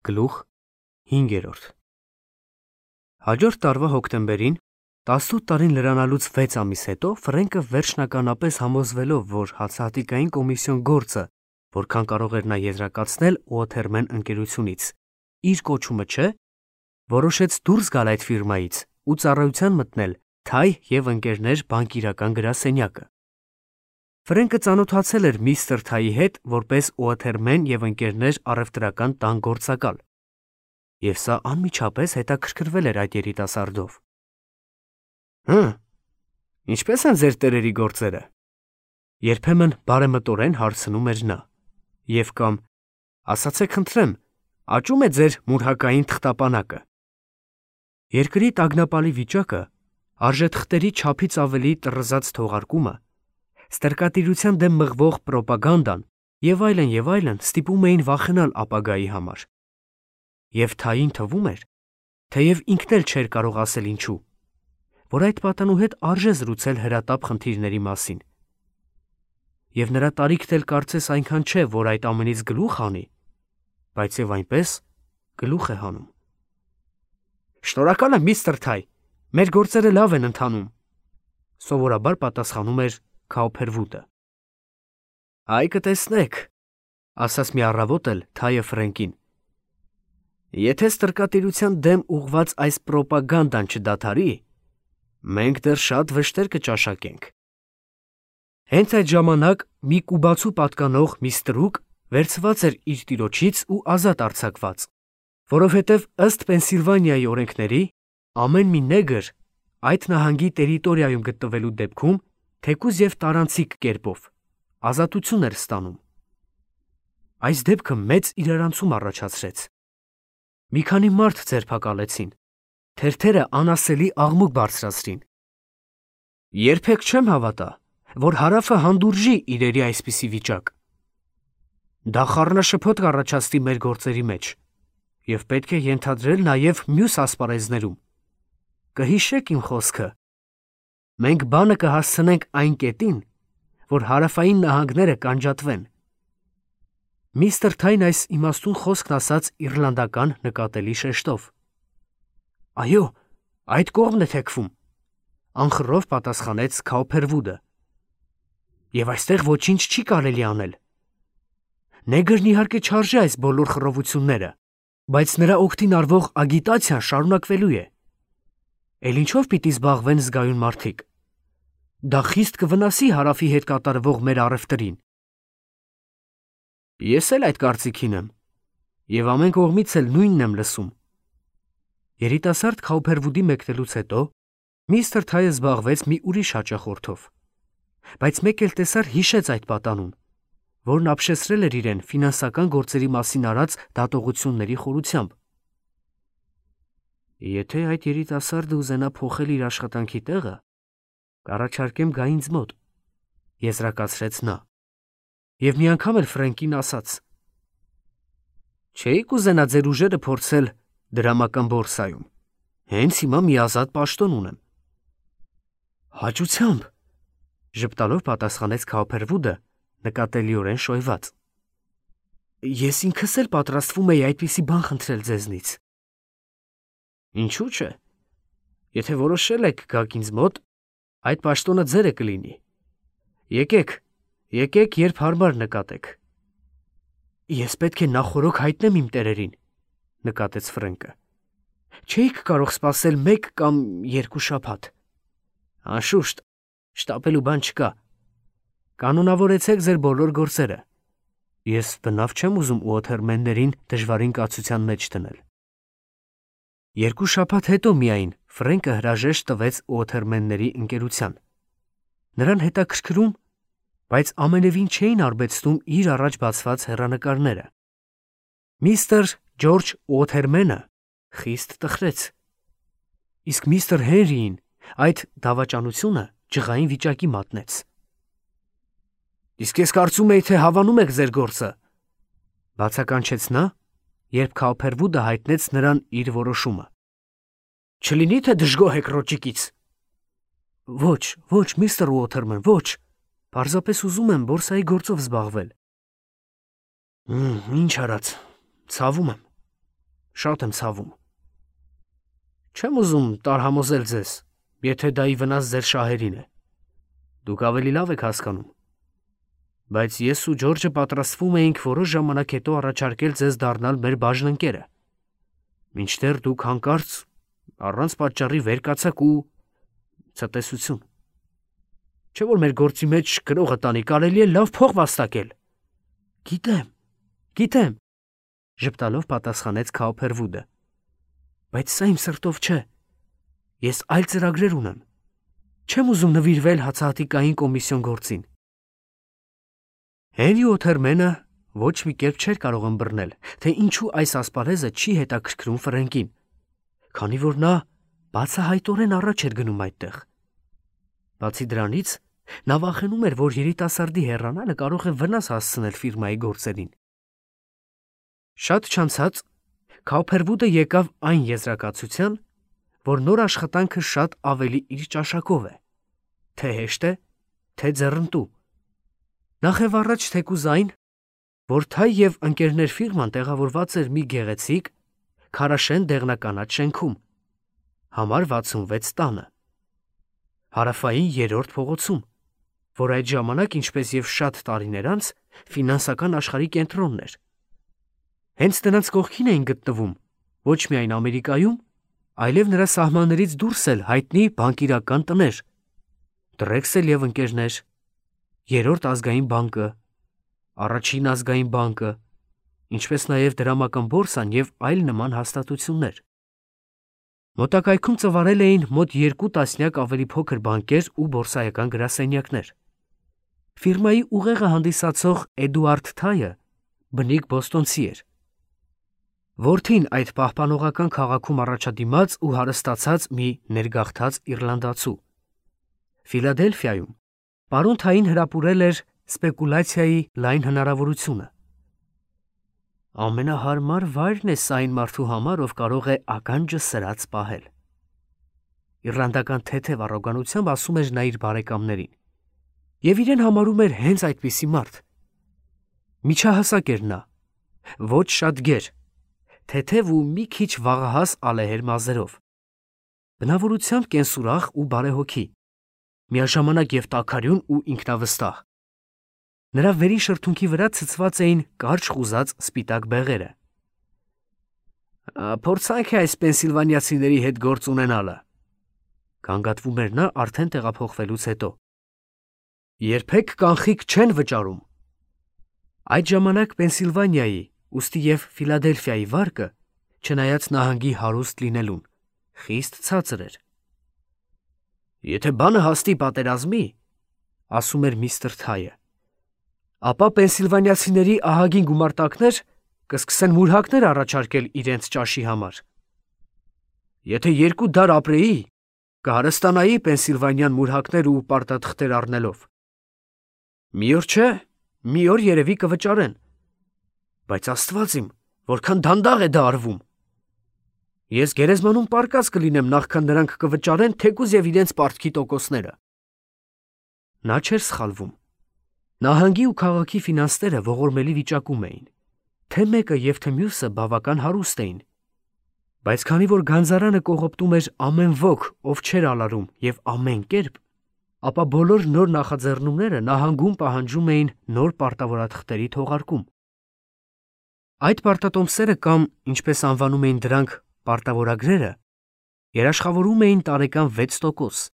Գլուխ 5. Հաջորդ տարվա հոկտեմբերին, 18 տարին լրանալուց 6 ամիս հետո, Ֆրենկը վերջնականապես համոզվելով, որ հացահատիկային կոմիսիոն գործը, որքան կարող էր նա եզրակացնել Ուոթերմեն ընկերությունից, իր կոչումը չէ, որոշեց դուրս գալ այդ ֆիրմայից ու ծառայության մտնել Թայ և ընկերներ բանկիրական գրասենյակը։ Ֆրենկը ծանոթացել էր միստր Թայի հետ որպես Ուոթերմեն և ընկերներ առևտրական տան գործակալ, և սա անմիջապես հետաքրքրվել էր այդ երիտասարդով։ Ինչպե՞ս են ձեր տերերի գործերը, երբեմն բարեմտորեն հարցնում էր նա, և կամ ասացեք խնդրեմ, աճու՞մ է ձեր մուրհակային թղթապանակը։ Երկրի տագնապալի վիճակը, արժեթղթերի չափից ավելի տռզած թողարկումը, ստրկատիրության դեմ մղվող պրոպագանդան և այլն ստիպում էին վախենալ ապագայի համար։ Եվ Թային թվում էր, թեև ինքն էլ չէր կարող ասել ինչու, որ այդ պատանու հետ արժե զրուցել հրատապ խնդիրների մասին։ Եվ նրա տարիքն էլ կարծես այնքան չէ, որ այդ ամենից գլուխ հանի, բայց և այնպես գլուխ է հանում։ Շնորհակալ եմ, միստր Թայ, մեր գործերը լավ են ընթանում, սովորաբար պատասխանում էր Քաուփերվուդը։ Այ կտեսնեք, ասաց մի առավոտ էլ Թայը Ֆրենկին, եթե ստրկատիրության դեմ ուղղված այս պրոպագանդան չդադարի, մենք դեռ շատ վշտեր կճաշակենք։ Հենց այդ ժամանակ մի կուբացու պատկանող մի ստրուկ վերցված էր իր տիրոջից ու ազատ արձակված, որովհետև ըստ Պենսիլվանիայի օրենքների ամեն մի նեգր այդ նահանգի տերիտորիայում գտնվելու դեպքում թեկուզ և տարանցիկ կերպով ազատություն էր ստանում։ Այս դեպքը մեծ իրարանցում առաջացրեց։ Մի քանի մարդ ձերբակալեցին, թերթերը անասելի աղմուկ բարձրացրին։ Երբեք չեմ հավատա, որ հարավը հանդուրժի իրերի այսպիսի վիճակ։ Դա խառնաշփոթ կառաջացնի մեր գործերի մեջ, և պետք է ենթադրել նաև մյուս ասպարեզներում։ Կհիշեք իմ խոսքը։ Մենք բանը կհասցնենք այն կետին, որ հարավային նահանգները կանջատվեն։ Միստր Թայն այս իմաստուն խոսքն ասաց իռլանդական նկատելի շեշտով։ Այո, այդ կողմն է թեքվում, անխռով պատասխանեց Քաուփերվուդը։ Եվ այստեղ ոչինչ չի կարելի անել։ Նեգրն իհարկե չարժե այս բոլոր խռովությունները, բայց նրա օգտին արվող ագիտացիան շարունակվելու է։ Էլ ինչով պիտի զբաղվեն զգայուն մարդիկ։ Դա խիստ կվնասի հարավի հետ կատարվող մեր առևտրին։ Ես էլ այդ կարծիքին եմ, և ամեն կողմից էլ նույնն եմ լսում։ Երիտասարդ Քաուփերվուդի մեկնելուց հետո միստր Թայը զբաղվեց մի ուրիշ հաճախորդով, բայց մեկ էլ տեսար հիշեց այդ պատանուն, որն ապշեցրել էր իրեն ֆինանսական գործերի մասին արած դատողությունների խորությամբ։ Եթե այդ երիտասարդը ուզենա փոխել իր աշխատանքի տեղը, կառաջարկեմ գա ինձ մոտ, եզրակացրեց նա, և մի անգամ էլ Ֆրենկին ասաց. Չէի կուզենա ձեր ուժերը փորձել դրամական բորսայում, հենց հիմա մի ազատ պաշտոն ունեմ։ Հաճությամբ, ժպտալով պատասխանեց Քաուփերվուդը, նկատելիորեն շոյված։ Ես ինքս էլ պատրաստվում էի այդպիսի բան խնդրել ձեզնից։ Ինչու՞ չէ։ Եթե որոշել եք գաք ինձ մոտ, այդ պաշտոնը ձերը կլինի։ Եկեք, երբ հարմար նկատեք։ Ես պետք է նախօրոք հայտնեմ իմ տերերին, նկատեց Ֆրենկը։ Չէիք կարող սպասել 1 կամ 2 շաբաթ։ Անշուշտ, շտապելու բան չկա։ Կանոնավորեցեք ձեր բոլոր գործերը։ Ես բնավ չեմ ուզում Ուոթերմեններին դժվարին կացության մեջ դնել։ 2 շաբաթ հետո միայն Ֆրենկը հրաժեշտ տվեց Ուոթերմենների ընկերության։ Նրան հետաքրքրում, բայց ամենևին չէին արբեցնում իր առաջ բացված հեռանկարները։ Միստր Ջորջ Ուոթերմենը խիստ տխրեց։ Իսկ միստր Հենրիին այդ դավաճանությունը ջղային վիճակի մատնեց։ Իսկ ես կարծում էի, թե հավանում եք ձեր գործը, բացականչեց նա, երբ Քաուփերվուդը հայտնեց նրան իր որոշումը։ Չլինի թե դժգոհ եք ռոճիկից։ Ոչ, միստր Ուոթերմեն, ոչ, պարզապես ուզում եմ բորսայի գործով զբաղվել։ Ինչ արած, ցավում եմ։ Շատ եմ ցավում։ Չեմ ուզում տարհամոզել ձեզ, եթե դա ի վնաս ձեր շահերին է։ Դուք ավելի լավ եք հասկանում։ Բայց ես ու Ջորջը պատրաստվում էինք որոշ ժամանակ հետո առաջարկել ձեզ դառնալ մեր բաժնընկերը։ Մինչդեռ դուք հանկարծ առանց պատճառի վեր կացաք ու ցտեսություն։ Չէ՞ որ մեր գործի մեջ գրողը տանի կարելի է լավ փող վաստակել։ Գիտեմ, ժպտալով պատասխանեց Քաուփերվուդը։ Բայց սա իմ սրտով չէ։ Ես այլ ծրագրեր ունեմ։ Չեմ ուզում նվիրվել հացահատիկային կոմիսիոն գործին։ Հենրի Օթերմենը ոչ մի կերպ չէր կարող ըմբռնել, թե ինչու այս ասպարեզը չի հետաքրքրում Ֆրենկին, քանի որ նա բացահայտորեն առաջ էր գնում այդտեղ։ Բացի դրանից, նա վախենում էր, որ երիտասարդի հեռանալը կարող է վնաս հասցնել ֆիրմայի գործերին։ Շատ չանցած Քաուփերվուդը եկավ այն եզրակացության, որ նոր աշխատանքը շատ ավելի իր ճաշակով է, թե հեշտ է, թե ձեռնտու։ Նախև առաջ թեկուզ այն, որ Թայ և ընկերներ ֆիրման տեղավորված էր մի գեղեցիկ, քարաշեն դեղնականաչ շենքում, համար 66 տանը, հարավային 3-րդ փողոցում, որ այդ ժամանակ, ինչպես և շատ տարիներ անց, ֆինանսական աշխարհի կենտրոնն էր։ Հենց նրանց կողքին էին գտնվում ոչ միայն Ամերիկայում, այլև նրա սահմաններից դուրս էլ հայտնի բանկիրական տներ, Դրեքսել և ընկերներ, Երրորդ ազգային բանկը, Առաջին ազգային բանկը, ինչպես նաև դրամական բորսան և այլ նման հաստատություններ։ Մոտակայքում ծվարել էին մոտ 2 տասնյակ ավելի փոքր բանկեր ու բորսայական գրասենյակներ։ Ֆիրմայի ուղեղը հանդիսացող Էդուարդ Թայը բնիկ բոստոնցի էր։ Որդին այդ պահպանողական քաղաքում առաջադիմած ու հարստացած մի ներգաղթած իռլանդացու։ Ֆիլադելֆիայում պարոն Թային հրապուրել էր սպեկուլյացիայի լայն հնարավորությունը։ Ամենահարմար վայրն է սա այն մարդու համար, ով կարող է ականջը սրած պահել։ Իռլանդական թեթև առոգանությամբ ասում էր նա իր բարեկամներին։ Եվ իրեն համարում էր հենց այդպիսի մարդ։ Միջահասակ էր նա, ոչ շատ գեր, թեթև ու մի քիչ վաղահաս ալեհեր մազերով, բնավորությամբ կենսուրախ ու բարեհոգի, միաժամանակ և տաքարյուն ու ինքնավստահ։ Նրա վերին շրթունքի վրա ցցված էին կարճ խուզած սպիտակ բեղերը։ Փորձանք է այս պենսիլվանիացիների հետ գործ ունենալը, գանգատվում էր նա արդեն տեղափոխվելուց հետո։ Երբեք կանխիկ չեն վճարում։ Այդ ժամանակ Պենսիլվանիայի, ուստի և Ֆիլադելֆիայի վարկը, չնայած նահանգի հարուստ լինելուն, խիստ ցածր էր։ Եթե բանը հասնի պատերազմի, ասում էր միստր Թայը, ապա պենսիլվանիացիների ահագին գումարտակներ կսկսեն մուրհակներ առաջարկել իրենց ճաշի համար։ Եթե 2 դար ապրեի, կհարստանայի Պենսիլվանիան մուրհակներ ու պարտաթղթեր առնելով։ Մի օր չէ, մի օր երևի կվճարեն, բայց Աստված իմ, որքան դանդաղ է դա արվում։ Ես գերեզմանում պարկած կլինեմ, նախքան նրանք կվճարեն թեկուզ և իրենց պարտքի տոկոսները։ Նա չէր սխալվում։ Նահանգի ու քաղաքի ֆինանսները ողորմելի վիճակում էին, թե մեկը և թե մյուսը բավական հարուստ էին, բայց քանի որ գանձարանը կողոպտում էր ամեն ոք, ով չէր ալարում և ամեն կերպ, ապա բոլոր նոր նախաձեռնումները նահանգում պահանջում էին նոր պարտավորաթղթերի թողարկում։ Այդ պարտատոմսերը կամ, ինչպես անվանում էին դրանք, պարտավորագրերը, երաշխավորում էին տարեկան 6%,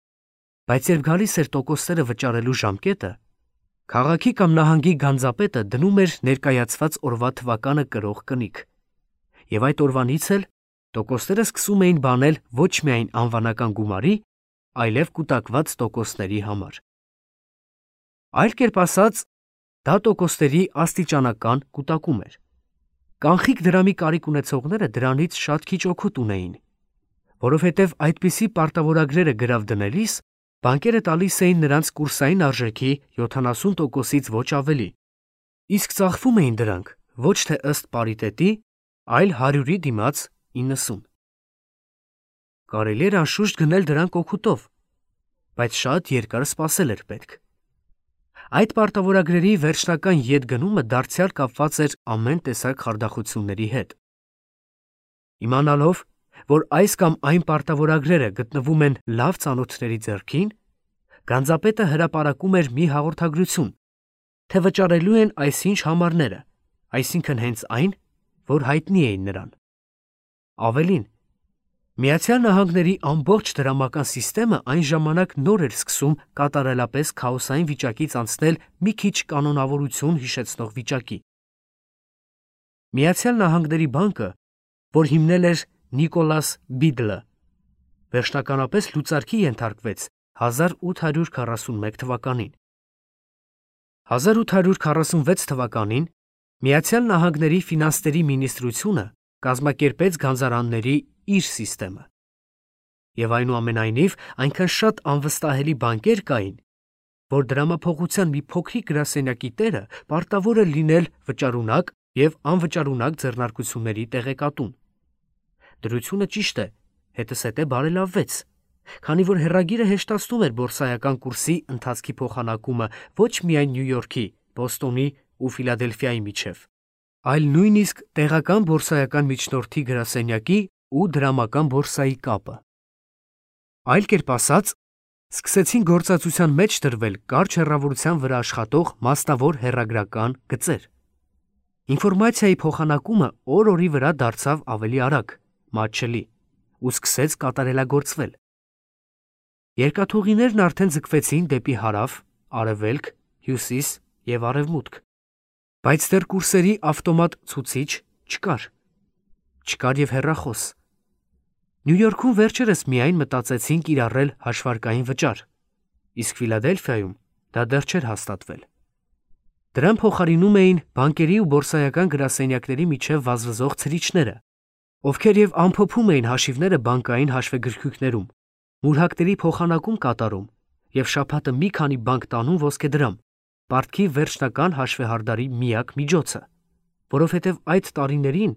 բայց երբ գալիս էր տոկոսները վճարելու ժամկետը, քաղաքի կամ նահանգի գանձապետը դնում էր ներկայացված օրվա թվականը կրող կնիկ, և այդ օրվանից էլ տոկոսները սկսում էին բանել ոչ միայն անվանական գումարի, այլև կուտակված տոկոսների համար։ Այլ կերպ ասած, դա տոկոսների աստիճանական կուտակում էր։ Կանխիկ դրամի կարիք ունեցողները դրանից շատ քիչ օգուտ ունեին, որովհետև այդպիսի պարտավորագրերը գրավ դնելիս բանկերը տալիս էին նրանց կուրսային արժեքի 70%-ից ոչ ավելի, իսկ ծախվում էին դրանք ոչ թե ըստ պարիտետի, այլ 100-ի դիմաց 90։ Կարելի էր անշուշտ գնել դրանք օգուտով, բայց շատ երկար սպասել էր պետք։ Այդ պարտավորագրերի վերջնական ետ գնումը դարձյալ կապված էր ամեն տեսակ խարդախությունների հետ։ Իմանալով, որ այս կամ այն պարտավորագրերը գտնվում են լավ ծանոթների ձեռքին, գանձապետը հրապարակում էր մի հաղորդագրություն, թե վճարելու են այսինչ համարները, այսինքն հենց այն, որ հայտնի էին նրան։ Ավելին, Միացյալ Նահանգների ամբողջ դրամական սիստեմը այն ժամանակ նոր էր սկսում կատարելապես քաոսային վիճակից անցնել մի քիչ կանոնավորություն հիշեցնող վիճակի։ Միացյալ Նահանգների բանկը, որ հիմնել էր Նիկոլաս Բիդլը, վերջնականապես լուծարքի ենթարկվեց 1841 թվականին։ 1846 թվականին Միացյալ Նահանգների ֆինանսների մինիստրությունը կազմակերպեց գանձարանների իր սիստեմը։ Եվ այնուամենայնիվ այնքան շատ անվստահելի բանկեր կային, որ դրամափոխության մի փոքրիկ գրասենյակի տերը պարտավոր է լինել վճարունակ և անվճարունակ ձեռնարկությունների տեղեկատուն։ Դրությունը ճիշտ է, հետզհետե բարելավվեց, քանի որ հեռագիրը հեշտացնում էր բորսայական կուրսի ընթացքի փոխանակումը ոչ միայն Նյու Յորքի, Բոստոնի ու Ֆիլադելֆիայի միջև, այլ նույնիսկ տեղական բորսայական միջնորդի գրասենյակի ու դրամական բորսայի կապը։ Այլ կերպ ասած, սկսեցին գործածության մեջ դրվել կարճ հեռավորության վրա աշխատող մասնավոր հեռագրական գծեր։ Ինֆորմացիայի փոխանակումը օր-օրի վրա դարձավ ավելի արագ, մատչելի ու սկսեց կատարելագործվել։ Երկաթուղիներն արդեն ձգվեցին դեպի հարավ, արևելք, հյուսիս և արևմուտք, բայց դեռ կուրսերի ավտոմատ ցուցիչ չկար։ Չկար և հեռախոս։ Նյու Յորքում վերջերս միայն մտածեցին կիրառել հաշվարկային վճար, իսկ Ֆիլադելֆիայում դա դեռ չէր հաստատվել։ Դրան փոխարինում էին բանկերի ու բորսայական գրասենյակների միջև վազվզող ցրիչները, ովքեր և ամփոփում էին հաշիվները բանկային հաշվեգրքույկներում, մուրհակների փոխանակում կատարում և շաբաթը մի քանի բանկ տանում ոսկեդրամ, պարտքի վերջնական հաշվեհարդարի միակ միջոցը, որովհետև այդ տարիներին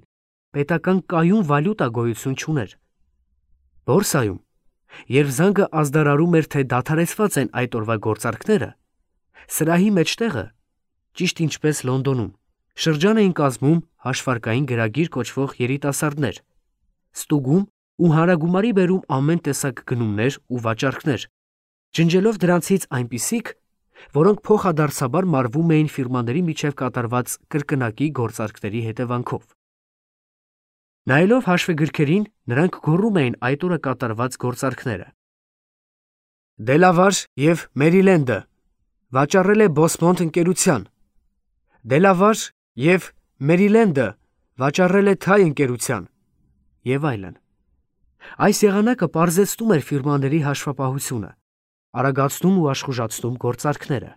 պետական կայուն վալյուտա գոյություն չուներ։ Բորսայում, երբ զանգը ազդարարում էր, թե դադարեցված են այդ օրվա գործարքները, սրահի մեջտեղը, ճիշտ ինչպես Լոնդոնում, շրջան էին կազմում հաշվարկային գրագիր կոչվող երիտասարդներ, ստուգում ու հանրագումարի բերում ամեն տեսակ գնումներ ու վաճառքներ, ջնջելով դրանցից այնպիսիք, որոնք փոխադարձաբար մարվում էին ֆիրմաների միջև կատարված կրկնակի գործարքների հետևանքով։ Նայելով հաշվեգրքերին, նրանք գոռում էին այդ օրը կատարված գործարքները։ Դելավար և Մերիլենդը վաճառել է Բոսմոնտ ընկերության, Դելավար և Մերիլենդը վաճառել է Թայ ընկերության և այլն։ Այս եղանակը պարզեցնում էր ֆիրմաների հաշվապահությունը, արագացնում ու աշխուժացնում գործարքները։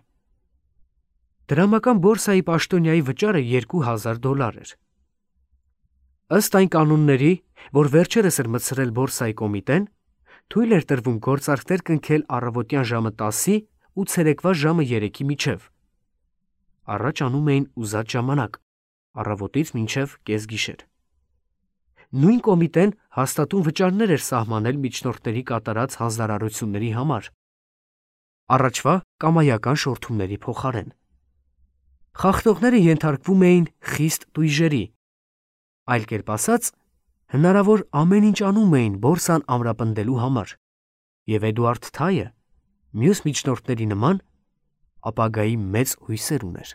Դրամական բորսայի պաշտոնյայի վճարը $2000 էր։ Ըստ այն կանոնների, որ վերջերս էր մտցրել բորսայի կոմիտեն, թույլ էր տրվում գործարքներ կնքել առավոտյան ժամը 10-ի ու ցերեկվա ժամը 3-ի միջև։ Առաջ անում էին ուզած ժամանակ, առավոտից մինչև կեսգիշեր։ Նույն կոմիտեն հաստատուն վճարներ էր սահմանել միջնորդների կատարած հանձնարարությունների համար, առաջվա կամայական շորթումների փոխարեն։ Խախտողները ենթարկվում էին խիստ տույժերի, այլ կերպ ասած, հնարավոր ամեն ինչ անում էին բորսան ամրապնդելու համար, և Էդուարդ Թայը, մյուս միջնորդների նման, ապագայի մեծ հույսեր ուներ։